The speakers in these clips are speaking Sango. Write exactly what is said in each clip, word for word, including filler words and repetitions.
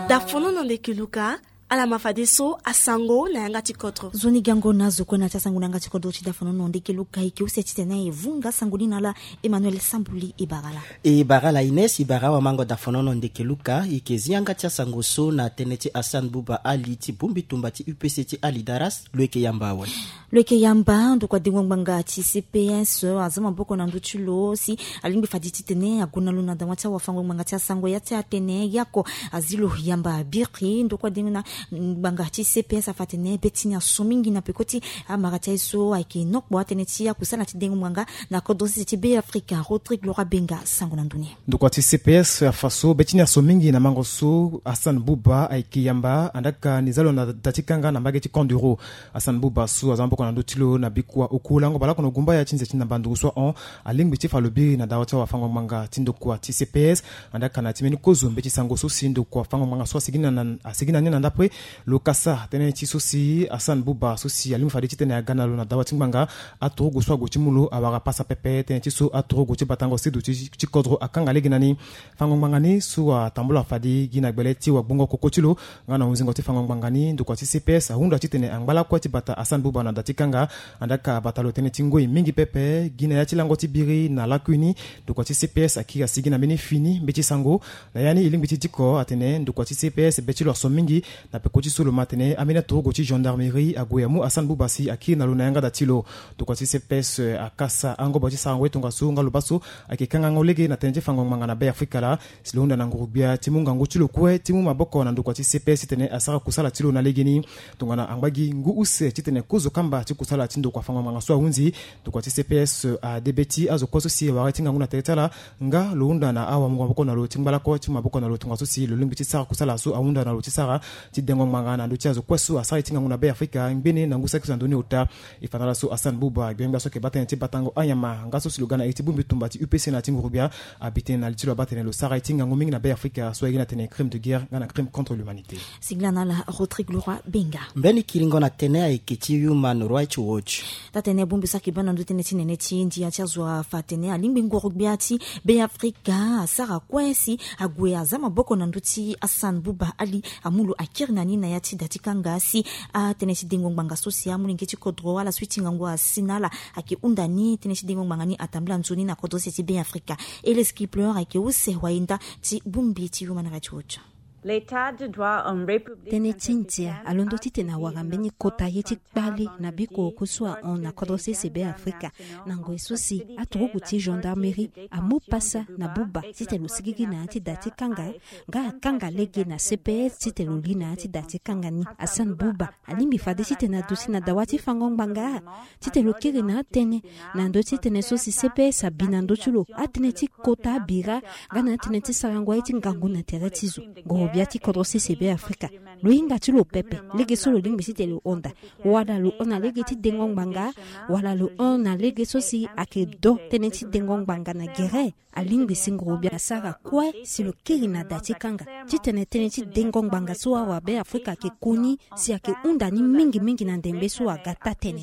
Dafonono ndeke luka. Ala ma fadeso asango na yanga ti kodro. Nzoni gango na zo kue na ti asango na yanga ti kodro ti dafonono ndeke luka. E ke use titene e vunga sango ni na ala. Emmanuel Sambuli e bara ala. E bara ala Ines, e bara awamango dafonono ndeke luka. E ke zi yanga ti asango so na tënë ti Hassan Bouba Ali ti bongbi tumba ti U P C ti Ali Daras. Lo yeke yamba awe. Lo yeke yamba ndokua dengo ngbanga ti C P S aza maboko na ndö ti lo si alingbi fade titene ague na lo na dawa ti awafango ngbanga ti asango ya ti atene yako azi lo yamba biri ndokua dengo na ngbanga ti C P S afa atene be ti ni aso mingi na peko ti amara ti aye so ayeke nokpo atene ti akusala ti dengo ngbanga na kodro sese ti Be Afrika. Rodrigue Laura Benga sango na ndö ni. Ndokua ti C P S afa so be ti ni aso mingi na mango so Hassan Bouba ayeke yamba andaka ni za lo na da ti kanga na mbage ti Kanduro. Hassan Bouba so aza maboko na ndö ti lo na bikua oku lango baleoko na gumbaya ti nze ti ndamba nduru so ahon alingbi ti fa lo biri na dawa ti awafango ngbanga ti ndokua ti C P S. Andaka na ti mbeni kozo mbeti sango so si ndokua fango ngbanga so asigi na, na, asigi na ni na ndapre. Lo kasa tënë ti so si Hassan Bouba so si alingbi fade titene aga na lo na dawa ti ngbanga. Aturugu so ague ti mu lo awara pasa pepe tënë ti so aturugu ti batango sidu ti, ti kodro akanga lege na ni. Fango ngbanga ni so atambula fade gi na gbele ti wagbongo koko ti lo nga na hunzingo ti fango ngbanga ni ndokua ti C P S ahunda titene angbala kue ti bata Hassan Bouba na da ti kanga. Andaka abata lo tënë ti ngoi mingi pepe gi na ya ti lango ti biri na lakui ni. Ndokua ti C P S akiri asigi na mbeni fini mbeti sango. Na ya ni e lingbi ti diko atene ndokua ti C P S be ti lo aso mingi. Na peko ti so lo ma atene ambeni aturugu ti gendarmerie ague amu Hassan Bouba si akiri na lo na yanga da ti lo. Ndokua ti C P S akasa angobo ti sarango ye tongaso nga lo baa so ayeke kangango lege na tënë ti fango ngbanga na Be Afrika laa. Si lo hunda na nguru-gbia ti mu ngangu ti lo kue ti mu maboko na ndokua ti C P S titene asara kusala ti lo na legeni. Tongana angba gi ngu use titene kozo kamba ti kusala ti ndokua fango ngbanga so ahunzi. Ndokua ti C P S ade be ti azo kue so si awara ye ti ngangu na tere ti ala. Nga lo hunda na awamungo maboko na lo ti ngbalako ti mu maboko na lo tongaso si lo lingbi ti sara kusala so ahunda na lo ti sara ti dengo ngbanga na ndö ti azo kue so asara ye ti ngangu na Be Afrika ngbene na ngu saki so na ndö ni ota. E fa na ala so Hassan Bouba gbengbia so ayeke baa tënë ti batango anyama nga so si lo ga na iri ti bongbi tumba ti U P C na ya ti nguru-gbia. Abi tënë na li ti lo abaa tene lo sara ye ti ngangu mingi na Be Afrika so aye gi na tene crime de guerre nga na crime contre l'humanité. Singila na ala Rodrigue Laura Benga. Mbeni kiringo na tënë ayeke ti Human Rights Watch. Taa-tënë bongbi so ayeke baa na ndö tënë ti nene ti ndia ti azo afa atene alingbi nguru-gbia ti Be Afrika asara kue si ague aza maboko na ndö ti Hassan Bouba Ali amu lo akiri na ni na ya ti da ti kanga si atënë ti dengo ngbanga so si amolenge ti kodro ala so ti ngangu asi na ala ayeke hunda ni tënë ti dengo ngbanga ni atambula nzoni na kodro sese ti Be Afrika. Ellis Kipler ayeke use wayenda ti bongbi ti Human Rights Watch. Tënë ti ndia alondo titene awara mbeni kota ye ti kpale na bikua oku so ahon na kodro sese Be Afrika. Na ngoi so si aturugu ti gendarmerie amu pasa na Bouba titene lo sigigi na ya ti da ti kanga nga akanga lege na C P S titene lo li na ya ti da ti kanga ni. Hassan Bouba alingbi fade titene aduti na dawa ti fango ngbanga titene lo kiri na atënë na ndö ti tënë so si C P S abi na ndö ti lo atënë ti kota abira nga na atënë ti sarango aye ti ngangu na tere ti zo. Nguru-gbia ti kodro sese Be Afrika lo hinga ti lo pepe lege so lo lingbi titene lo honda wala lo hon na lege ti dengo ngbanga wala lo hon na lege so si ayeke do tënë ti dengo ngbanga na gere. Alingbi si nguru-gbia asara kue si lo kiri na da ti kanga titene tënë ti dengo ngbanga so awabe Afrika ayeke koni si ayeke hunda ni mingi mingi na ndembe so aga taa-tënë.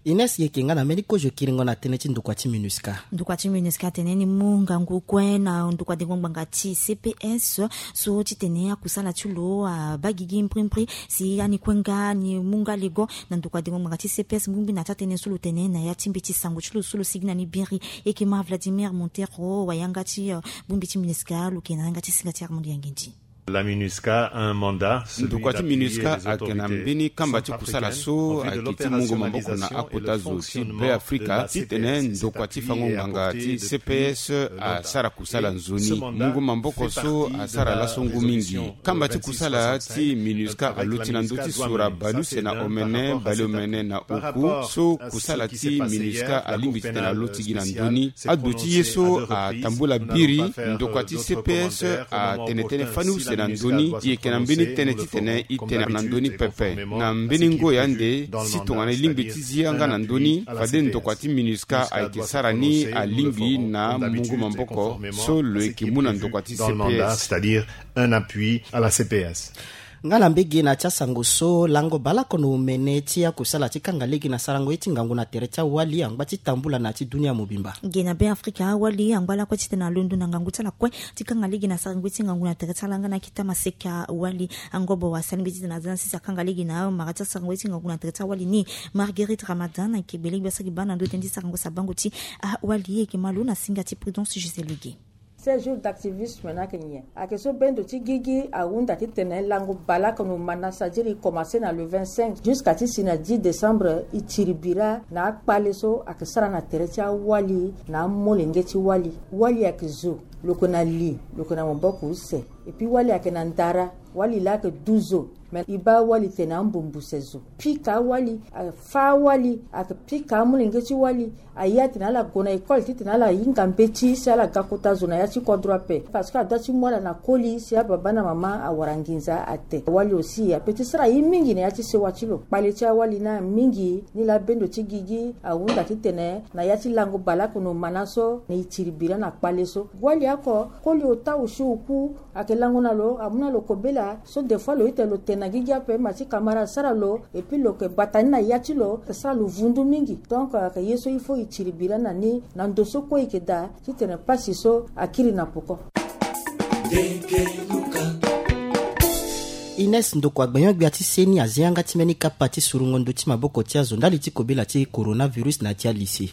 Ines, e yeke nga na mbeni kozo kiringo na tënë ti ndokua ti MINUSCA. Ndokua ti MINUSCA atene ni mu ngangu kue na ndokua dengo ngbanga ti C P S so titene akusala ti lo abaa gigi mbrimbri si ani kue nga ni mu nga lego na ndokua dengo ngbanga ti C P S ngbingbi na taa-tënë so lo tene na ya ti mbeti sango ti lo so lo sigi na ni biri. E yeke ma Vladimir Montero wayanga ti, eh, bongbi ti MINUSCA lo yeke na yanga ti singa ti Armand Yangindi. La MINUSCA a un mandat, celui d'appuyer les autorités centrafricaines en vue de l'opération. Ndokua ti MINUSCA ayeke na mbeni kamba ti kusala so ayeke ti mungo maboko na akota zo ti Be Afrika titene ndokua ti fango ngbanga ti C P S asara kusala nzoni. Mungo maboko so asara laso ngu mingi. Kamba ti kusala ti MINUSCA aloti na ndö ti sura baleuse na omene baleomene na oku so kusala ti MINUSCA alingbi titene aloti gi na ndö ni. Aduti ye so atambula biri ndokua ti C P S atene tënë fani use na ndö ni. E yeke na mbeni tënë titene e tene na ndö ni pepe na mbeni ngoi ande si tongana e lingbi ti zi yanga na ndö ni fade ndokua ti MINUSCA ayeke sara ni alingbi na mungo maboko so lo yeke mu na ndokua ti C P S. C'est-à-dire un appui à la C P S. Nga na mbege na ti asango so, lango baleoko na omene ti akusala ti kanga lege na sarango ye ti ngangu na tere ti awali angba ti tambula na ya ti dunia mobimba. Ge na Be Afrika, awali angba lakue titene alondo na ngangu ti ala kue ti kanga lege na sarango ye ti ngangu na tere ti ala nga na akita maseka wali. Angobo wa sali mbeti titene aza na sese akanga lege na amara ti asarango ye ti ngangu na tere ti awali ni. Marguerite Ramadan ayeke gbele gbia saki baa na ndo tënë ti sarango sabango ti awali ayeke malo na singa ti Prudence Gisèle Gué. Seize jours d'activisme ni ayeke nyen? Ayeke so bendo ti gigi ahunda titene lango baleoko na omana, c'est-à-dire e commencer na le vingt-cinq jusqu'à ti si na dix décembre, e tiri bira na akpale so ayeke sara na tere ti awali na amolenge ti wali. Wali ayeke zo, lo yeke na li, lo yeke na maboko use. Et puis wali ayeke na ndara, wali laa ayeke du zo. Me e baa wali tene ambumbu se zo. Pika wali, a, fâ wali, ayeke pika amolenge ti wali. Aye atene ala gue na école titene ala hinga mbeti si ala ga kota zo na ya ti kodro ape. Parce que adoit ti mu ala na koli si ababa na mama awara nginza ate. Wali aussi ape ti sara ye mingi na ya ti sewa ti lo. Kpale ti awali ni mingi, ni laa bendo ti gigi ahunda titene na ya ti lango baleoko na omana so, na e tiri bira na kpale so. Wali oko, koli ota osi oku, ayeke lango na lo, amu na lo kobela so des fois lo ita lo tene na gigi ape, ma ti kamara asara lo, et puis lo yeke gbata ni na ya ti lo, ayeke sara lo vundu mingi. Donc ayeke ye so il faut e tiri bira na ni na ndo so kue e yeke daa titene pasi so akiri na poko. Ines Ndoko, agbenyo-gbia ti seni azi yanga ti mbeni kapa ti surungo ndö ti maboko ti azo ndali ti kobela ti coronavirus na ya ti alycée.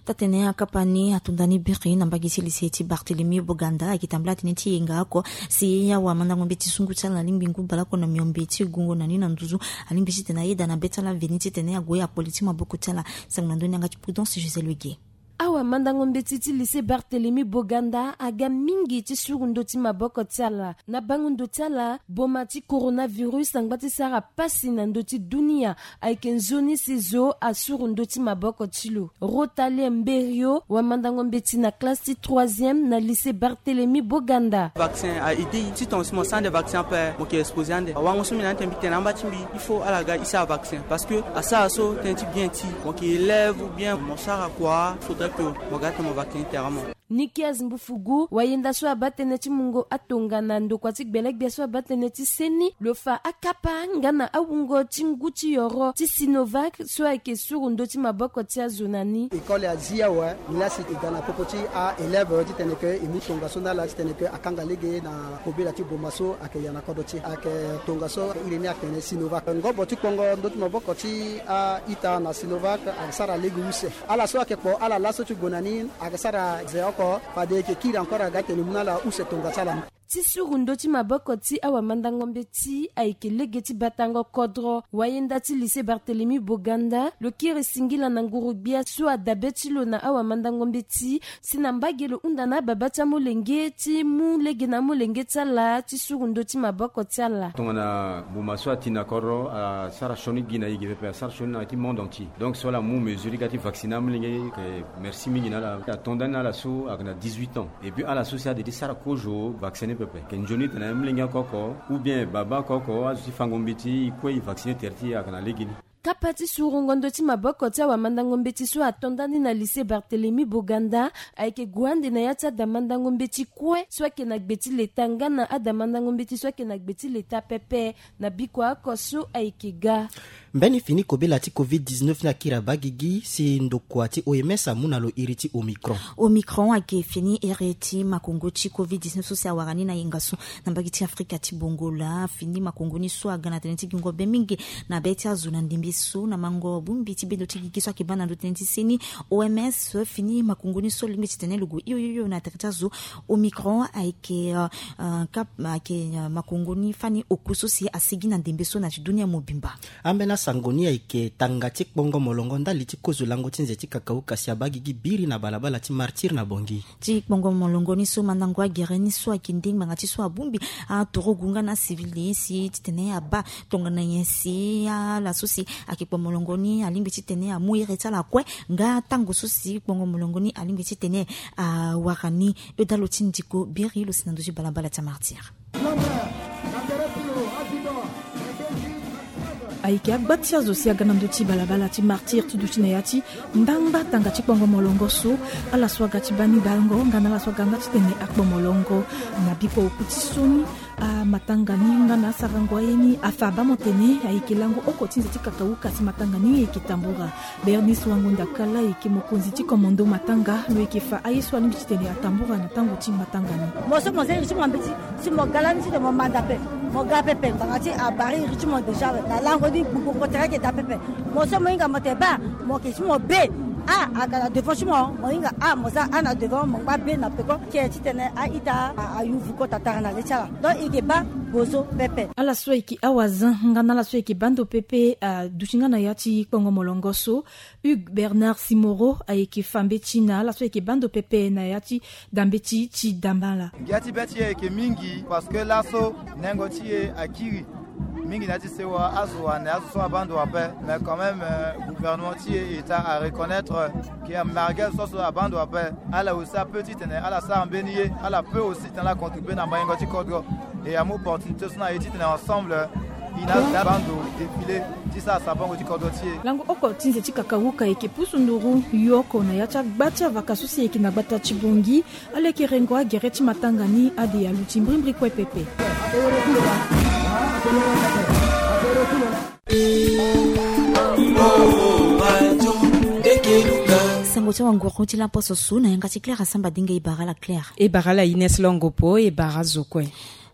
Taa-tene akapa ni ato nda ni biri na mbage ti lycée ti Barthélemy Boganda, ayeke tambula tënë ti yenga oko si awamandango mbeti sungu ti ala alingbi ngu baleoko na miombe ti gungo na ni na nduzu, alingbi titene ayeda na be ti ala veni titene ague akpoli ti maboko ti ala. Sango na ndö ni yanga ti Prudence Gisèle Gué. Awamandango mbeti ti lycée Barthélemy Boganda aga mingi ti suru ndö ti maboko ti ala. Na bango ndo ti ala, boma ti coronavirus angba ti sara pasi na ndö ti dunia. Ayeke nzoni si zo asuru ndö ti maboko ti lo. Rotalie Mberio, wamandango mbeti na classe ti troisième na lycée Barthélemy Boganda. Vaccin a aidé. Si tonga si mo sara ande vaccin ape, mo yeke exposé ande. Awango so mbi na ande mbi tene amba ti mbi, il faut ala ga e sara vaccin parce que asara so tënë ti bien ti mo yeke élève ou bien mo sara kua, il faudrait que mo ga tene mo vaccin tere mo. Nikias Mbufugu, wayenda so abaa tënë ti mungo atongana ndokua ti gbelegbia so abaa tënë ti seni, lo fa akapa nga na awungo ti ngu ti yoro ti Sinovac so ayeke suru ndö ti maboko ti azo na ni. École azi awe, nilaa si e ga na popo ti a-élève titene ke e mu tongaso ni ala titene ke akanga lege na kobela ti boma so ayeke ya na kodro ti e. Ayeke tongaso iri ni atene Sinovac. Ngobo ti kpongo ndö ti maboko ti a-ita na Sinovac ayeke sara lege use. Ala so ayeke kpo ala laso ti gue na ni ayeke sara ze oko, fade e yeke kiri encore aga tene e mu na ala use tonga ti ala ni. Ti suru ndö ti maboko ti awamandango mbeti ayeke lege ti batango kodro. Wayenda ti lycée Barthélemy Boganda, lo kiri singila na nguru-gbia so adabe ti lo na awamandango mbeti, si na mbage lo hunda na ababa ti amolenge ti mu lege na amolenge ti ala ti suru ndö ti maboko ti ala. Tongana boma so ati na kodro asara sioni gi na e ge pepe, asara sioni na ya ti monde entier. Donc so ala mu mesure ga ti vacciner amolenge, e yeke merci mingi na ala. Ato nda ni na ala so ayeke na dix-huit ans. Et puis ala so si ade ti sara kozo vaccin ni pepe. Yeke nzoni tene amolenge oko oko, ou bien baba oko oko, azo ti fango mbeti, e kue e vacciner tere ti e ayeke na legeni. Kapa ti surungo ndö ti maboko ti awamandango mbeti so ato nda ni na lycée Barthélemy Boganda ayeke gue ande na ya ti adamandango mbeti kue so ayeke na gbe ti leta nga na adamandango mbeti so ayeke na gbe ti leta pepe na bikua oko so ayeke ga. Mbeni fini kobela ti covid dix-neuf ni akiri abaa gigi si ndokua ti O M S amu na lo iri ti Omicron. Omicron ayeke fini iri ti makongo ti covid dix-neuf so si awara ni na yenga so na mbage ti Afrika ti bongo laa. Fini makongo ni so aga na tënë ti gingo be mingi na be ti azo na ndembe so na mango bongbi ti bendo ti gigi so ayeke baa na ndö tënë ti seni O M S. Fini makongo ni so alingbi titene lo gue hio hio hio na tere ti azo. Omicron ayeke, euh, euh, kap-, ayeke, euh, makongo ni fani oku so si asigi na ndembe so na ti dunia mobimba. Ambeni asango ni ayeke tanga ti kpongo molongo ndali ti kozo lango ti nze ti kakauka si abaa gigi biri na balabala ti Martyr na Bangui. Ti kpongo molongo ni so mandango agere ni so ayeke nde ngbanga ti so abongbi aturugu nga na acivil si titene abaa tongana nyen si ala so si ayeke kpo molongo ni alingbi titene amu iri ti ala kue nga tango so si kpongo molongo ni alingbi titene awara ni. Yo dalo ti ndiko biri lo si na ndö ti balabala ti Martyr. Ayeke agba ti azo si aga na ndö ti balabala ti martyr ti duti na ya ti ndangba tanga ti kpongo molongo so. Ala so aga ti baa ni bango nga na ala so aga nga titene akpo molongo na bikua oku ti so ni. Amatanga ni nga na asarango aye ni afa abaa mo tene ayeke lango oko ti nze ti kakauka si matanga ni ayeke tambura. Bernice Wangonda Kala ayeke mokonzi ti komondo matanga lo yeke fa aye so alingbi titene atambura na tango ti matanga ni. Mo so mo zengi ti mo mbeti si mo ga lani titene mo manda ape. Mo ga pepe ngbanga ti abari iri ti mo déjà na lango ni gbogbo kotere ayeke daa pepe. Mo so mo hinga mo tene baa mo yeke ti mo be. A aga na devant ti mo mo hinga a mo za a na devant mo ngba be na peko. Ke titene a-ita ayuvu kota tara na le ti ala. Donc e yeke baa bozo pepe. Ala so ayeke awazin nga na ala so ayeke baa ndo pepe aduti nga na ya ti kpongo molongo so. Hugues Bernard Simoro ayeke fa mbeti na ala so ayeke baa ndo pepe na ya ti da mbeti ti dambala. Ngia ti be ti e ayeke mingi parce que laso nengo ti e akiri mingi na ya ti sewa azo ane azo so abaa ndo ape. Mais quand même gouvernement ti e eta areconnaître ke amarge azo so abaa ndo ape. Ala aussi ape titene ala sara mbeni ye ala pe aussi titene ala contribue na maingo ti kodro. E amu opportunité so na e titene ensemble e na ala baa ndo défilé ti sara sabango ti kodro ti e. Lango oko ti nze ti kakauka ayeke pusu nduru yoko na ya ti agba ti avaka so si ayeke na gbata ti bongi. Ala yeke rengo agere ti matanga ni ade aluti mbrimbri kue pepe. Sango ti awanguru ti laposo so na yanga ti Claire asamba dinga e bara ala Claire. E bara ala Ines Longopo e bara azo kue.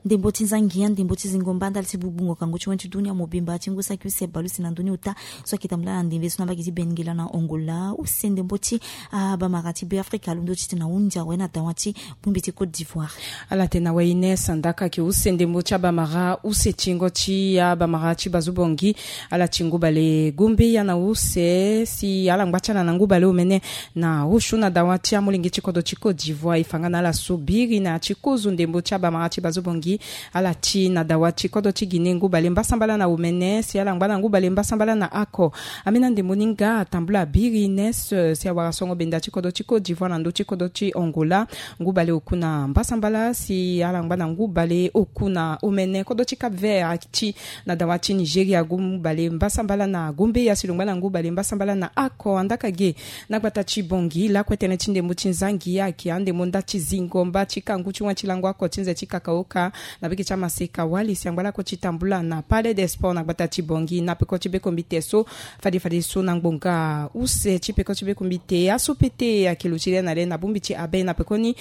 Ndembo ti nzangi ya ndembo ti zingo mba ndali ti gbungbungo kangu ti wen ti dunia mobimba ti ngu saki use bale use na ndoni ota so ayeke tambula na ndembe so na mbage ti Benguela na Angola use ndembo ti abamara ti Beafrika alondo titene ahunzi awe na dawa ti bongbi ti Côte d'Ivoire. Ala tene awe Ines andaka ayeke use ndembo ti abamara use tingo ti abamara ti bazobongi. Ala ti ngu bale gombeya na use si ala ngba ti ala na ngu bale omene na osio na dawa ti amolenge ti kodro ti Côte d'Ivoire e fa nga na ala so biri na ya ti kozo ndembo ti abamara ti bazobongi. Ala ti na dawa ti kodro ti Guinée ngu bale mbasambala na omene si ala ngba na ngu bale mbasambala na ako. Ambeni andembo ni nga atambula biri Ines si awara songo benda ti kodro ti Côte d'Ivoire na ndö ti kodro ti Angola. Ngu bale oku na mbasambala si ala ngba na ngu bale oku na omene kodro ti Cap Vert ti na dawa ti Nigeria ngu bale mbasambala na gombeya si lo ngba na ngu bale mbasambala na ako andaka ge. Na gbata ti bongi lakue tënë ti ndembo ti nzangi ayeke andembo nda ti zingo mba ti kangu ti wen ti lango ako ti nze ti kakaoka na beke ti amaseka wali si angba lakue ti tambula na Palais des Sports na gbata ti bongi na peko ti bekombite so. Fade fade so na ngbonga use ti peko ti bekombite aso pete ayeke lo ti le na le na bongbi ti abe na pekoni.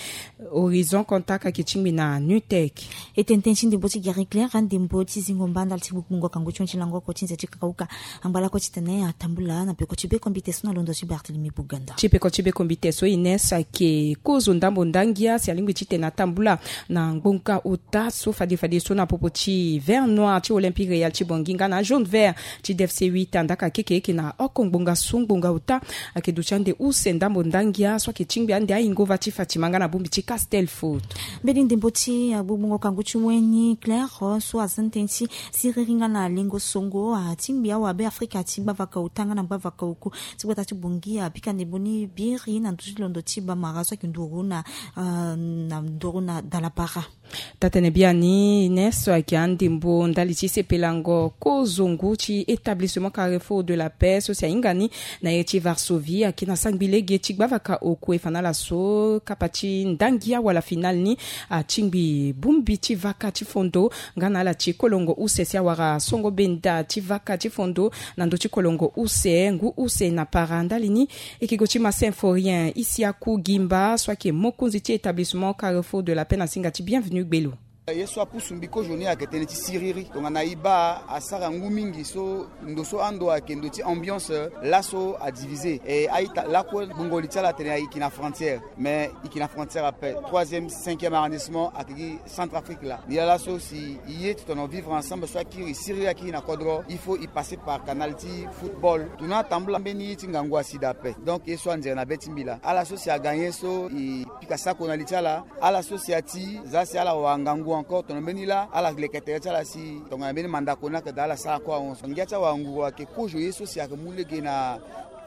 Horizon Contact ayeke tingbi na Nutec. E tene tënë ti ndembo ti gere Claire andembo ti zingo mba ndali ti gbungbungo kangu ti wen ti lango oko ti nze ti kakauka. Angba lakue titene atambula na peko ti bekombite so na londo ti Barthélemy Boganda. Ti peko ti bekombite so Ines ayeke kozo ndambo ndangia si alingbi titene atambula na ngbonga ota so fade fade so na popo ti vert noir ti Olympique Real ti bongi nga na jaune vert ti D F C huit andaka keke eke na oko ngbonga so ngbonga ota. Ayeke duti ande use ndambo ndangia so ayeke tingbi ande ahingo va ti Fatima nga na bongbi ti Castel Foot. Mbeni ndembo ti gbungbungo kangu ti wen ni Claire so aza na tënë ti siriri nga na lengo songo atingbi awabe Afrika ti gbavaka ota nga na gbavaka oku ti gbata ti bongi apika ndembo ni biri na ndö ti londo ti bamara so ayeke nduru na nduru na dalabara. Taa-tënë biani Ines so ayeke andembo ndali ti sepelango kozo ngu ti établissement Carrefour de la Paix so si ahinga ni na iri ti Varsovie ayeke na sangbi lege ti gbavaka oku e fa na ala so kapa ti ndangia wala finale ni atingbi bongbi ti vaka ti fondo nga na ala ti kolongo use si awara songo benda ti vaka ti fondo na ndö ti kolongo use ngu use na para ndali ni. E yeke go ti ma Symphorien Isiaku Gimba so ayeke mokonzi ti établissement Carrefour de la Paix na singa ti Bienvenu Gbelo. Ye so apusu mbi kozo ni ayeke tënë ti siriri tongana e baa asara ngu mingi so ndo so ando ayeke ndo ti ambiance laso adivise e a-ita lakue gbungo li ti ala atene e yeke na frontière. Mais e yeke na frontière ape troisième cinquième arrondissement ayeke gi Centrafrique laa. Ni laa laso si e ye titene vivre ensemble so akiri siriri akiri na kodro il faut e passer par canal ti football. Tongana atambula mbeni ye ti ngangu asi daa ape. Donc ye so anzere na be ti mbi laa ala so si agagner so e pika sako na li ti ala. Ala so si ati za si ala wara ngangu encore tongana mbeni laa ala leke tere ti ala si tongana mbeni mandako ni ayeke daa ala sara kue ahon so ngia ti awara nguru ayeke kozo ye so si ayeke mu lege na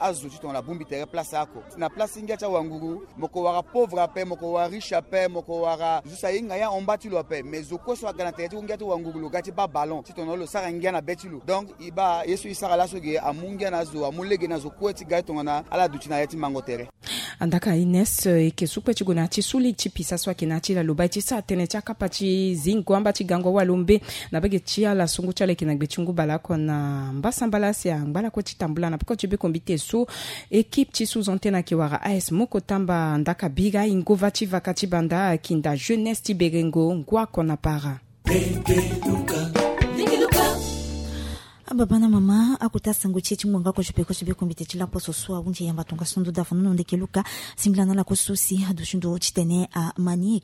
azo ti tongana abongbi tere place oko. Na place ti ngia ti awanguru, mo ko wara pauvre ape, mo ko wara riche ape, mo ko wara zo si ahinga ye ahon mba ti lo ape. Mais zo kue so aga na tere ti ngia ti wanguru, lo ga ti baa ballon ti tongana lo sara ngia na be ti lo. Donc e baa ye so e sara laso ge amu ngia na azo, amu lege na azo kue ti ga ti tongana ala duti na ya ti mango tere. Andaka Ines, e ke su kue ti gue na ya ti su lege ti pisa so ayeke na ya ti lalo, baa e ti sara tënë ti akapa ti zingo amba ti gango awalombe na bege ti ala sungu ti ala ayeke na gbe ti ngu baleoko na mbasambala si angba lakue ti tambula na peko ti bekombite so. Équipe ti sous-antenne ayeke wara A S Moko Tamba, ndaka bira ingo va ti vaka ti banda, kinda jeunesse ti berengo ngua oko na para. Ababa na mama, akota sango ti e ti ngbonga kozo peko ti bekombite ti laposo so ahunzi e yamba tongaso ndo dafo nono ndeke luka. Singila na ala kozo so si aduti ndo ti tene ama ni.